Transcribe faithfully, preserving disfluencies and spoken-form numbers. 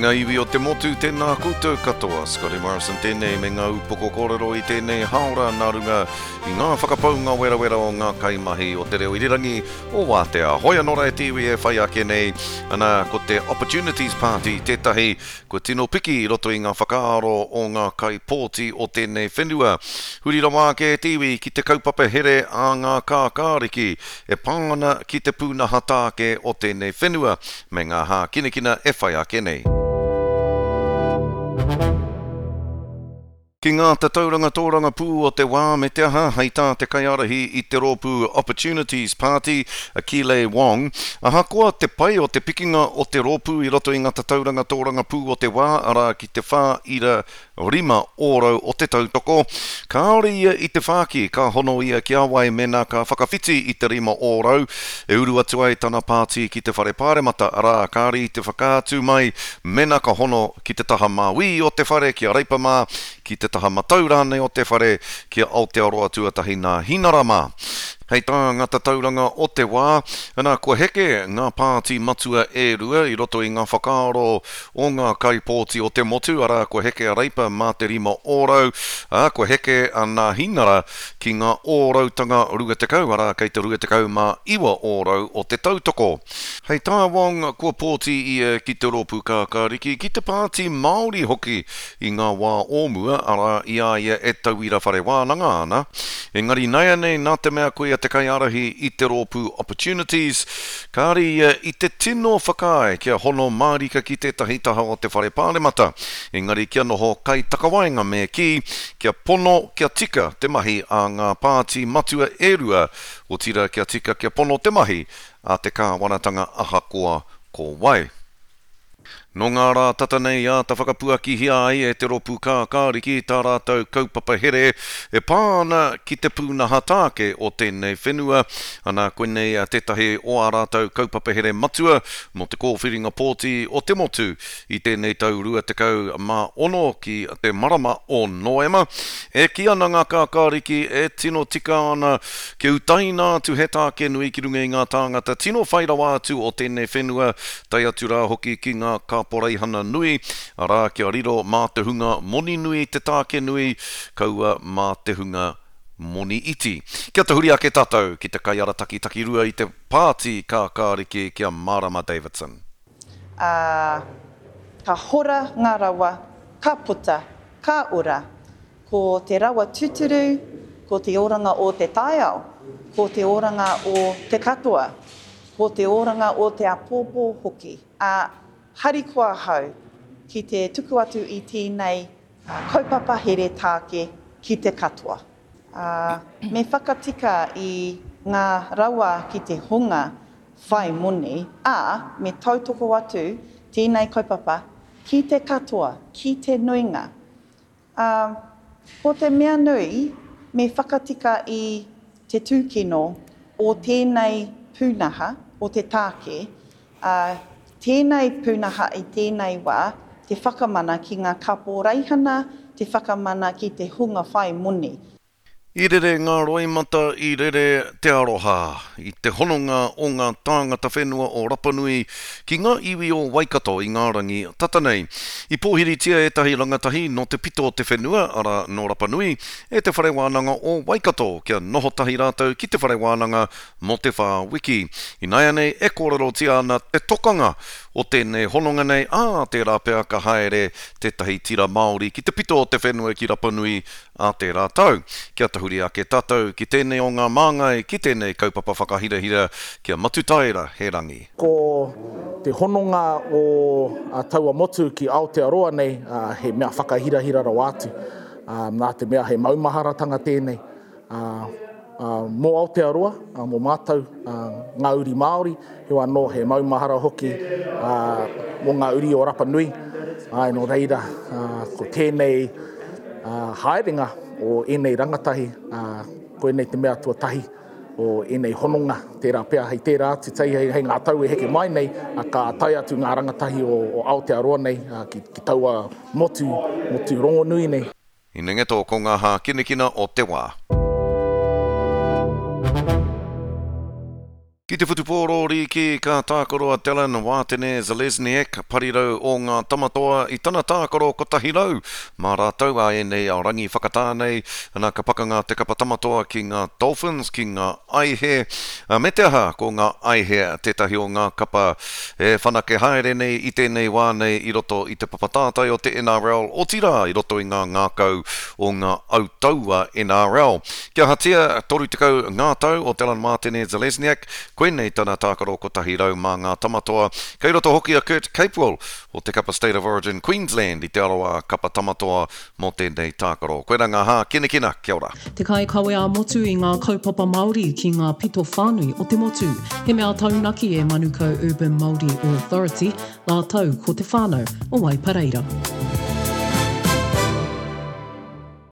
ngā iwi o te motu, tēnā koutou katoa. Scotty Morrison tēnei me ngā upoko kōrero i tēnei haora nā runga i ngā whakapaunga werawera o ngā kaimahi o te reo irirangi o Wātea. Hoi anō rā e te iwi e whai ake nei, ana ko te Opportunities Party tētahi kua tino piki i roto i ngā whakaaro o ngā kaipōti o tēnei whenua. Huri rawa ake e te iwi ki te kaupapa here a ngā kākāriki e pā ana ki te pūnaha tāke o tēnei whenua me ngā hākinakina e whai ake nei. Ki ngā tatauranga tōrangapū o te wā me te aha, hei tā te kaiārahi i te rōpū Opportunities Party, a Kile Wong, ahakoa te pai o te pikinga o te rōpū i roto i ngā tatauranga tōrangapū o te wā, arā ki te whā ira rima ōrau o te tautoko, kāore ia i te whāki ka hono ia ki a wai mēnā ka whakawhiti i te rima ōrau e uru atu ai tana pāti ki te whare pāremata, arā kāore i te whakaatu mai mēnā ka hono ki te taha māui o te whare ki a Reipa mā, ki te taha matau rānei o te whare ki a Aotearoa Tuatahi nā Hinara mā. Hei tā ngā tatauranga o te wā, ana kua heke ngā pāti matua e rua i roto i ngā whakaaro o ngā kaipōti o te motu, arā kua heke a Reipa mā te rima ōrau, ā, kua heke a Nā Hinara ki ngā ōrautanga rua tekau, arā kei te rua tekau mā iwa ōrau o te tautoko. Hei tā Wong, kua pōti ia ki te rōpū kākāriki, ki te pāti Māori hoki i ngā wā o mua, arā i a ia e tauira whare wānanga ana. Engari nāianei nā te mea koia te kaiārahi i te rōpū Opportunities, kāre ia i te tino whakaae kia hono mārika ki tētahi taha o te whare pāremata, engari kia noho kaitakawaenga me kī, kia pono, kia tika te mahi a ngā pāti matua e rua, otirā kia tika kia pono te mahi a te kāwanatanga ahakoa ko wai. Nō ngā rā tata nei āta whakapuakihia ai e te rōpū kākāriki tā rātou kaupapa here e pā ana ki te pūnaha tāke o tēnei whenua. Ana koinei tētahi o ā rātou kaupapa here matua mō te kōwhiringa pōti o te motu i tēnei tau rua tekau mā ono ki te marama o Noema. E kī ana ngā kākāriki e tino tika ana kia utaina atu he tāke nui ki runga i ngā tāngata tino whai rawa atu o tēnei whenua, tae atu rā hoki ki ngā kaporeihana nui, arā kia riro mā te hunga moni nui te tāke nui, kaua mā te hunga moni iti. Kia tahuri ake tātou ki te kaiarataki takirua i te pāti kākāriki ki a Marama Davidson. Ā, ka hora ngā rawa, ka puta, ka ora. Ko te rawa tūturu, ko te oranga o te taiao, ko te oranga o te katoa, ko te oranga o te āpōpō hoki. Ā, harikoa ahau ki te tuku atu i tēnei kaupapa here tāke ki te katoa. Ā, me whakatika i ngā rawa ki te hunga whai moni, ā, me tautoko atu tēnei kaupapa ki te katoa, ki te nuinga. Ā, ko te mea nui, me whakatika i te tūkino o tēnei pūnaha, o te tāke, ā, tēnei pūnaha i tēnei wā, te whakamana ki ngā kaporeihana, te whakamana ki te hunga whai moni. I rere ngā roimata, i rere te aroha, i te hononga o ngā tāngata whenua o Rapanui ki ngā iwi o Waikato i ngā rangi tata nei. I pōhiritia ētahi rangatahi nō te pito o te whenua, arā nō Rapanui, e te whare wānanga o Waikato, kia noho tahi rātou ki te whare wānanga mō te whā wiki. Ināianei e kōrerotia ana te tokanga o tēnei hononga nei, ā, tērā pea ka haere tētahi tira Māori ki te pito o te whenua ki Rapanui ā tērā tau. Kia tahuri ake tātou ki tēnei o ngā māngai, ki tēnei kaupapa whakahirahira, kia Matutaera he rangi. Ko te hononga o taua motu ki Aotearoa nei, he mea whakahirahira rawa atu. Nā te mea he maumaharatanga tēnei mō Aotearoa, mō mātou ngā uri Māori, heoi anō he maumahara hoki mō ngā uri o Rapanui. Āe, nō reira, ko tēnei haerenga o ēnei rangatahi, koinei te mea tuatahi o ēnei hononga, tērā pea hei tērā atu, hei, hei ngā tau e heke mai nei, ka tae atu ngā rangatahi o, o Aotearoa nei ki, ki taua motu, motu rongonui nei. Hinengeto ko ngā hākinakina o te wā. Ki te whutupōro rīki ka tākaro a Dallin Wātene Zelezniak, parirau o ngā Tamatoa i tana tākaro kotahi rau mā rātou a ēnei a rangi whakatā nei, ana ka pakanga te kapa Tamatoa ki ngā Dolphins, ki ngā Aihe, me te aha ko ngā Aihe tētahi o ngā kapa e whanake haere nei i tēnei wā nei i roto i te papa tātai o te N R L, otirā i roto i ngā ngākau o ngā autaua N R L. Kia ahatia, toru tekau ngā tau o Dallin Wātene Zelezniak, koinei tana tākaro kotahi rau mā ngā Tamatoa. Kei roto hoki a Kurt Capewell o te kapa State of Origin Queensland i te aroā kapa Tamatoa mō tēnei tākaro. Koirā ngā hākinakina, kia ora. Te kaikawe ā-motu i ngā kaupapa Māori ki ngā pito whānui o te motu. He mea taunaki e Manukau Urban Māori Authority, rātou ko te whānau o Waipareira.